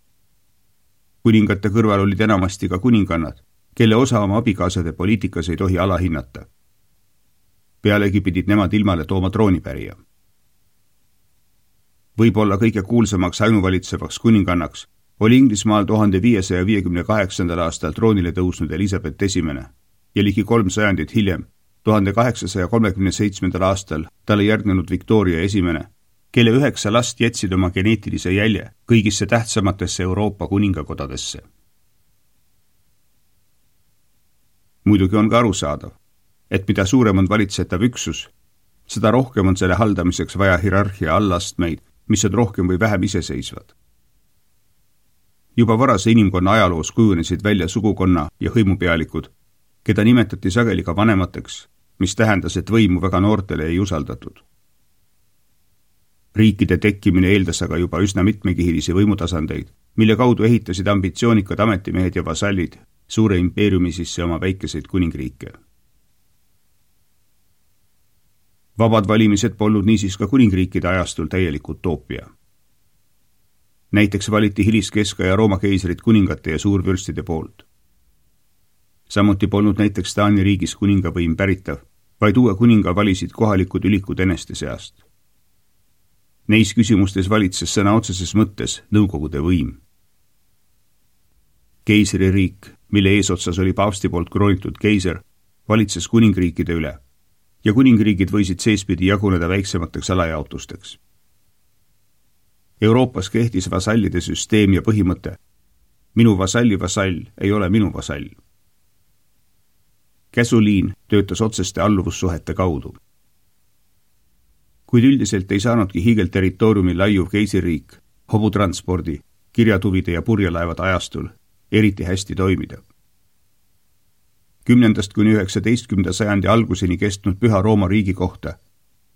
Kuningate kõrval olid enamasti ka kuningannad, kelle osa oma abikaasade poliitikas ei tohi alahinnata. pealegi pidid nemad ilmale tooma troonipärija. Võib-olla kõige kuulsamaks ainuvalitsevaks kuningannaks oli Inglismaal 1558. aastal troonile tõusnud Elizabeth I ja ligi 3 sajandit hiljem, 1837. aastal talle järgnenud Victoria I, kelle 9 last jätsid oma geneetilise jälje kõigisse tähtsamatesse Euroopa kuningakodadesse. Muidugi on ka arusaadav, et mida suurem on valitsetav üksus, seda rohkem on selle haldamiseks vaja hierarhia allastmeid, mis on rohkem või vähem iseseisvad. Juba varase inimkonna ajaloos kujunesid välja sugukonna ja hõimupealikud, keda nimetati sageli ka vanemateks, mis tähendas, et võimu väga noortele ei usaldatud. Riikide tekkimine eeldas aga juba üsna mitmekihilisi võimutasandeid, mille kaudu ehitasid ambitsioonikad ametimehed ja vasallid suure impeeriumi sisse oma väikeseid kuningriike. Vabad valimised polnud niisiis ka kuningriikide ajastul täielik utoopia. Näiteks valiti hiliskeskaja Rooma keisrid kuningate ja suurvürstide poolt. Samuti polnud näiteks Taani riigis kuningavõim päritav, vaid uue kuninga valisid kohalikud ülikud eneste seast. Neis küsimustes valitses sõna otseses mõttes nõukogude võim. Keisririik, mille eesotsas oli paavsti poolt kroonitud keiser, valitses kuningriikide üle ja kuningriigid võisid seespidi jaguneda väiksemateks alajaotusteks. Euroopas kehtis vasallide süsteem ja põhimõte: minu vasalli vasall ei ole minu vasall. Käsuliin töötas otseste alluvussuhete kaudu. Kuid üldiselt ei saanudki hiigelterritooriumil laiuv keisririik hobutranspordi, kirjatuvide ja purjelaevade ajastul eriti hästi toimida. 10. kuni 19. sajandi alguseni kestnud Püha Rooma riigi kohta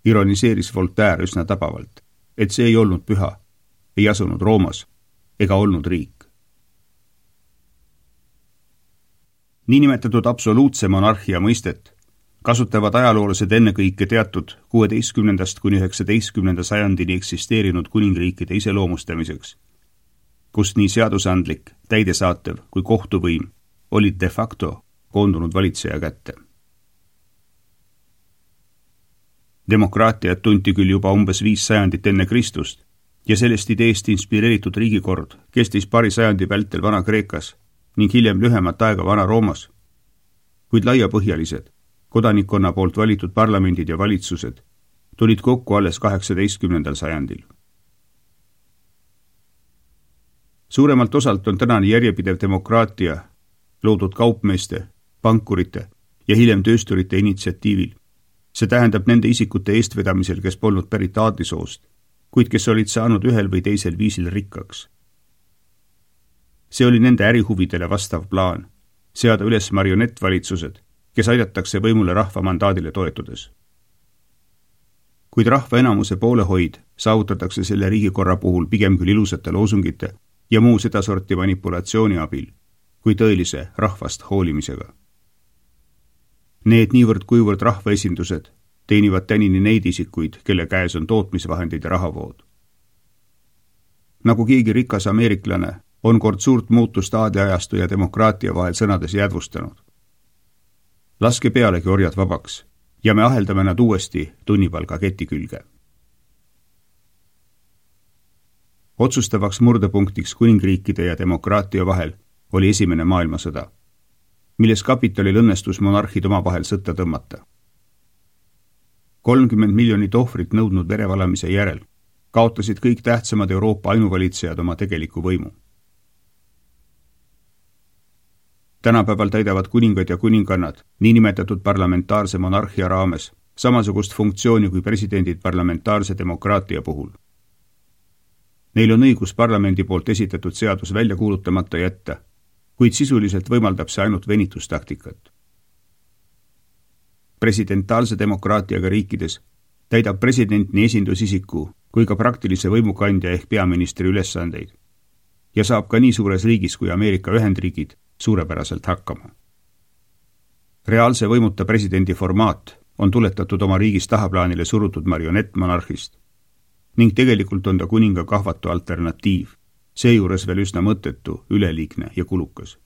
ironiseeris Voltaire üsna tabavalt, et see ei olnud püha, ei asunud Roomas ega olnud riik. Niinimetatud absoluutse monarhia mõistet kasutavad ajaloolased ennekõike teatud 16. kuni 19. sajandini eksisteerinud kuningriikide iseloomustamiseks, kus nii seadusandlik, täidesaatev kui kohtuvõim olid de facto koondunud valitseja kätte. Demokraatiat tunti küll juba umbes 5 sajandit enne Kristust ja sellest ideest inspireeritud riigikord kestis paari sajandi vältel Vana-Kreekas ning hiljem lühemat aega Vana-Roomas, kuid laiapõhjalised, kodanikkonna poolt valitud parlamendid ja valitsused tulid kokku alles 18. sajandil. Suuremalt osalt on tänane järjepidev demokraatia loodud kaupmeeste, pankurite ja hiljem töösturite initsiatiivil. See tähendab nende isikute eestvedamisel, kes polnud pärit aadlisoost, kuid kes olid saanud ühel või teisel viisil rikkaks. See oli nende ärihuvidele vastav plaan, seada üles marionettvalitsused, kes aidatakse võimule rahva mandaadile toetudes. Kuid rahva enamuse poolehoid saavutatakse selle riigikorra puhul pigem küll ilusate loosungite ja muu sedasorti manipulatsiooni abil, kui tõelise rahvast hoolimisega. Need niivõrd kuivõrd rahvaesindused teenivad tänini neid isikuid, kelle käes on tootmisvahendid ja rahavood. Nagu keegi rikas ameeriklane on kord suurt muutust aadliajastu ja demokraatia vahel sõnades jäädvustanud. Laske pealegi orjad vabaks ja me aheldame nad uuesti tunnipalga keti külge. Otsustavaks murdepunktiks kuningriikide ja demokraatia vahel oli Esimene maailmasõda, milles kapitalil õnnestus monarhid omavahel sõtta tõmmata. 30 miljonit ohvrit nõudnud verevalamise järel kaotasid kõik tähtsamad Euroopa ainuvalitsejad oma tegeliku võimu. Tänapäeval täidavad kuningad ja kuningannad niinimetatud parlamentaarse monarhia raames samasugust funktsiooni kui presidendid parlamentaarse demokraatia puhul. Neil on õigus parlamendi poolt esitatud seadus välja kuulutamata jätta, kuid sisuliselt võimaldab see ainult venitustaktikat. Presidentaalse demokraatiaga riikides täidab president nii esindusisiku kui ka praktilise võimukandja ehk peaministri ülesandeid ja saab ka nii suures riigis kui Ameerika Ühendriigid suurepäraselt hakkama. Reaalse võimuta presidendi formaat on tuletatud oma riigis tahaplaanile surutud marionettmonarhist ning tegelikult on ta kuninga kahvatu alternatiiv, seejuures veel üsna mõttetu, üleliigne ja kulukas.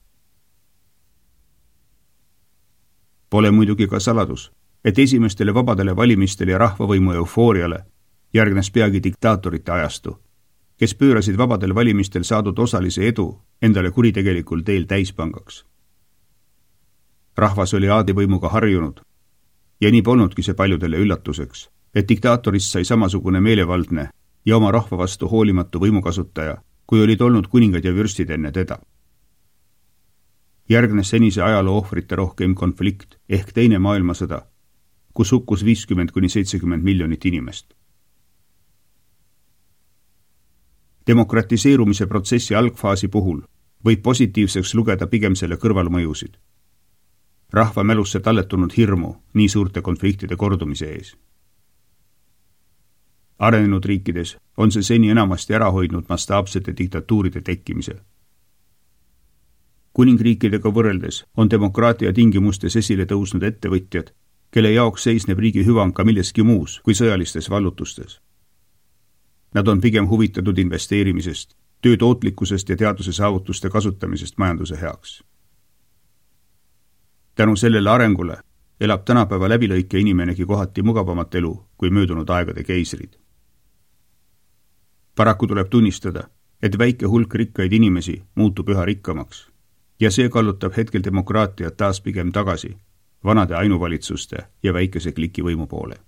Pole muidugi ka saladus, et esimestele vabadele valimistele ja rahvavõimu eufooriale järgnes peagi diktaatorite ajastu, kes pöörasid vabadel valimistel saadud osalise edu endale kuritegelikul teel täispangaks. Rahvas oli aadivõimuga harjunud ja nii polnudki see paljudele üllatuseks, et diktaatorist sai samasugune meelevaldne ja oma rahva vastu hoolimatu võimukasutaja, kui olid olnud kuningad ja vürstid enne teda. Järgnes senise ajaloo ohvrite rohkem konflikt ehk teine maailmasõda, kus hukkus 50–70 miljonit inimest. Demokratiseerumise protsessi algfaasi puhul võib positiivseks lugeda pigem selle kõrvalmõjusid. Rahva mälusse talletunud hirmu nii suurte konfliktide kordumise ees. Arenenud riikides on see seni enamasti ära hoidnud mastaapsete diktatuuride tekkimise. Kuningriikidega võrreldes on demokraatia tingimustes esile tõusnud ettevõtjad, kelle jaoks seisneb riigi hüvang ka milleski muus kui sõjalistes vallutustes. Nad on pigem huvitatud investeerimisest, töö tootlikkusest ja teaduse saavutuste kasutamisest majanduse heaks. Tänu sellele arengule elab tänapäeva läbilõike inimenegi kohati mugavamat elu kui möödunud aegade keisrid. Paraku tuleb tunnistada, et väike hulk rikkaid inimesi muutub üha rikkamaks ja see kallutab hetkel demokraatiat taas pigem tagasi vanade ainuvalitsuste ja väikese kliki võimu poole.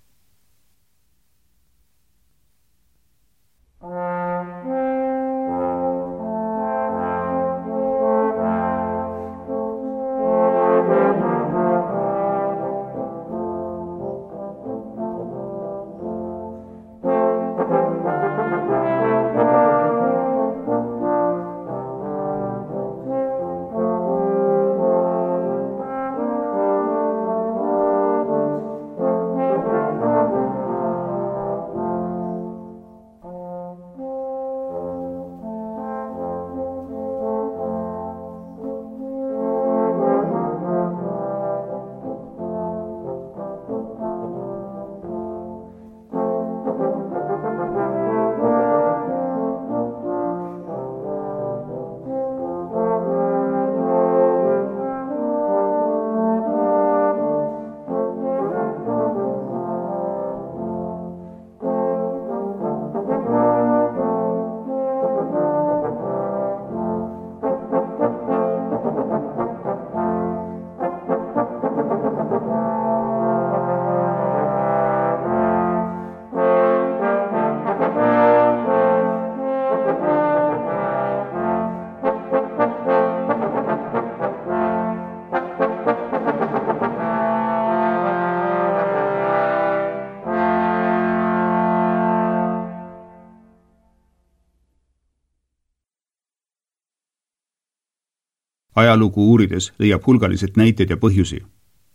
Ajalugu uurides leiab hulgaliselt näiteid ja põhjusi,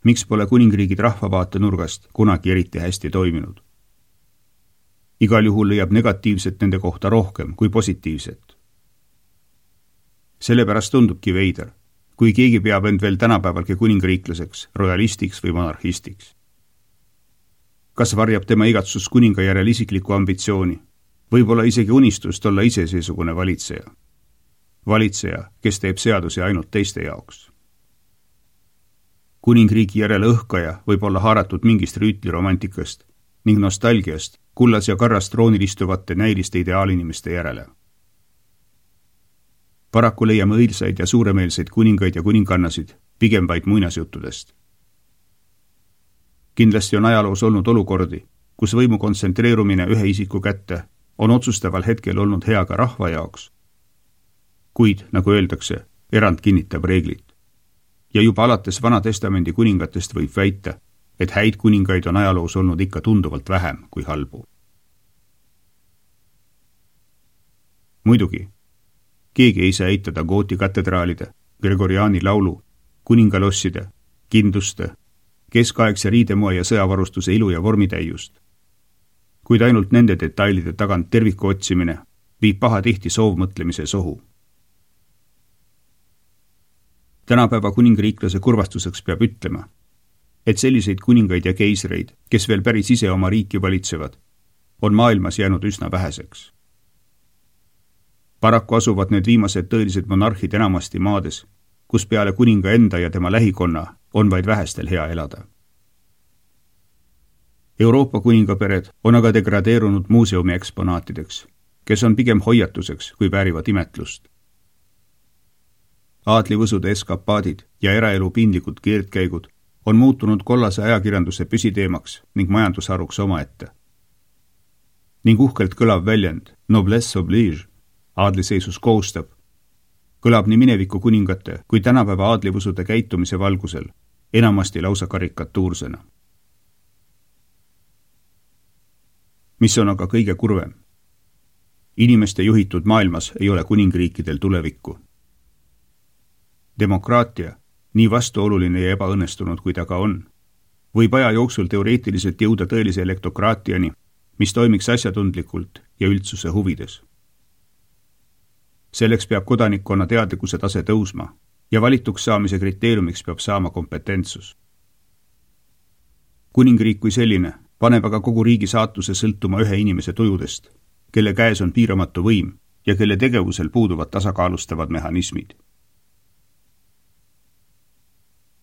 miks pole kuningriigid rahvavaate nurgast kunagi eriti hästi toiminud. Igal juhul leiab negatiivset nende kohta rohkem kui positiivset. Sellepärast tundubki veider, kui keegi peab end veel tänapäevalgi kuningriiklaseks, royalistiks või monarhistiks. Kas varjab tema igatsus kuninga järel isikliku ambitsiooni, võib-olla isegi unistust olla ise seesugune valitseja? Valitseja, kes teeb seadusi ainult teiste jaoks. Kuningriigi järele õhkaja võib olla haaratud mingist rüütliromantikast ning nostalgiast kullas ja karras troonil istuvate näiliste ideaalinimeste järele. Paraku leiame õilsaid ja suuremeelseid kuningaid ja kuningannasid pigem vaid muinasjuttudest. Kindlasti on ajaloos olnud olukordi, kus võimu kontsentreerumine ühe isiku kätte on otsustaval hetkel olnud hea ka rahva jaoks, kuid, nagu öeldakse, erand kinnitab reeglit. Ja juba alates Vana-testamendi kuningatest võib väita, et häid kuningaid on ajaloos olnud ikka tunduvalt vähem kui halbu. Muidugi, keegi ei saa eitada Gooti katedraalide, Gregoriani laulu, kuningalosside, kinduste, keskaegse riidemoe ja sõjavarustuse ilu ja vormitäiust. Kuid ainult nende detailide tagant terviku otsimine viib pahatihti soovmõtlemise sohu. Tänapäeva kuningriiklase kurvastuseks peab ütlema, et selliseid kuningaid ja keisreid, kes veel päris ise oma riiki valitsevad, on maailmas jäänud üsna väheseks. Paraku asuvad need viimased tõelised monarhid enamasti maades, kus peale kuninga enda ja tema lähikonna on vaid vähestel hea elada. Euroopa kuningapered on aga degradeerunud muuseumi eksponaatideks, kes on pigem hoiatuseks, kui väärivad imetlust. Aadlivõsude eskapaadid ja eraelu piinlikud keerdkäigud on muutunud kollase ajakirjanduse püsiteemaks ning majandusharuks omaette. Ning uhkelt kõlav väljend noblesse oblige, aadliseisus kohustab, kõlab nii mineviku kuningate kui tänapäeva aadlivõsude käitumise valgusel, enamasti lausa karikatuursena. Mis on aga kõige kurvem? Inimeste juhitud maailmas ei ole kuningriikidel tulevikku. Demokraatia, nii vastuoluline ja ebaõnnestunud kui ta ka on, võib aja jooksul teoreetiliselt jõuda tõelise elektokraatiani, mis toimiks asjatundlikult ja üldsuse huvides. Selleks peab kodanikkonna teadlikkuse tase tõusma ja valituks saamise kriteeriumiks peab saama kompetentsus. Kuningriik kui selline paneb aga kogu riigi saatuse sõltuma ühe inimese tujudest, kelle käes on piiramatu võim ja kelle tegevusel puuduvad tasakaalustavad mehhanismid.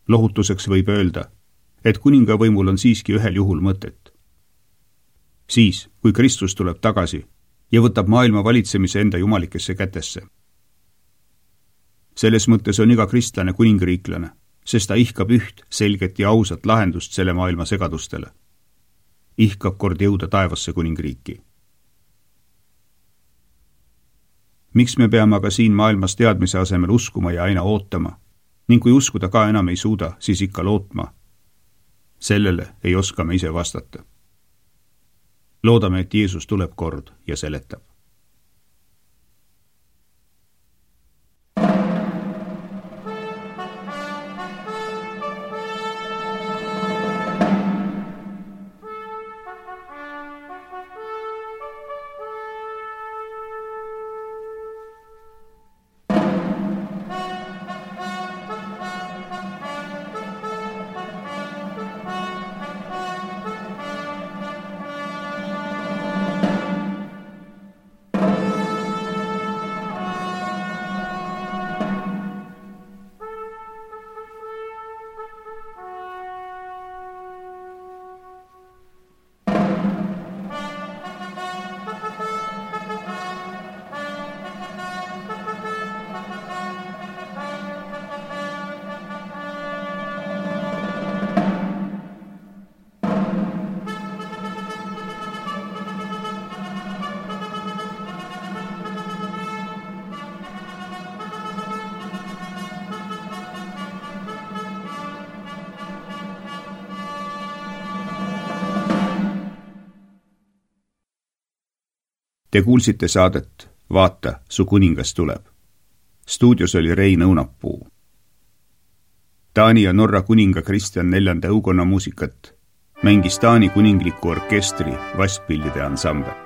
Lohutuseks võib öelda, et kuningavõimul on siiski ühel juhul mõtet. Siis, kui Kristus tuleb tagasi ja võtab maailma valitsemise enda jumalikesse kätesse. Selles mõttes on iga kristlane kuningriiklane, sest ta ihkab üht selget ja ausat lahendust selle maailma segadustele. Ihkab kord jõuda taevasse kuningriiki. Miks me peame aga siin maailmas teadmise asemel uskuma ja aina ootama, ning kui uskuda ka enam ei suuda, siis ikka lootma? Sellele ei oska me ise vastata. Loodame, et Jeesus tuleb kord ja seletab. Te kuulsite saadet Vaata, su kuningas tuleb. Stuudios oli Rein Õunapuu. Taani ja Norra kuninga Kristjan 4. õukonna muusikat mängis Taani kuningliku orkestri vastpillide ansambel.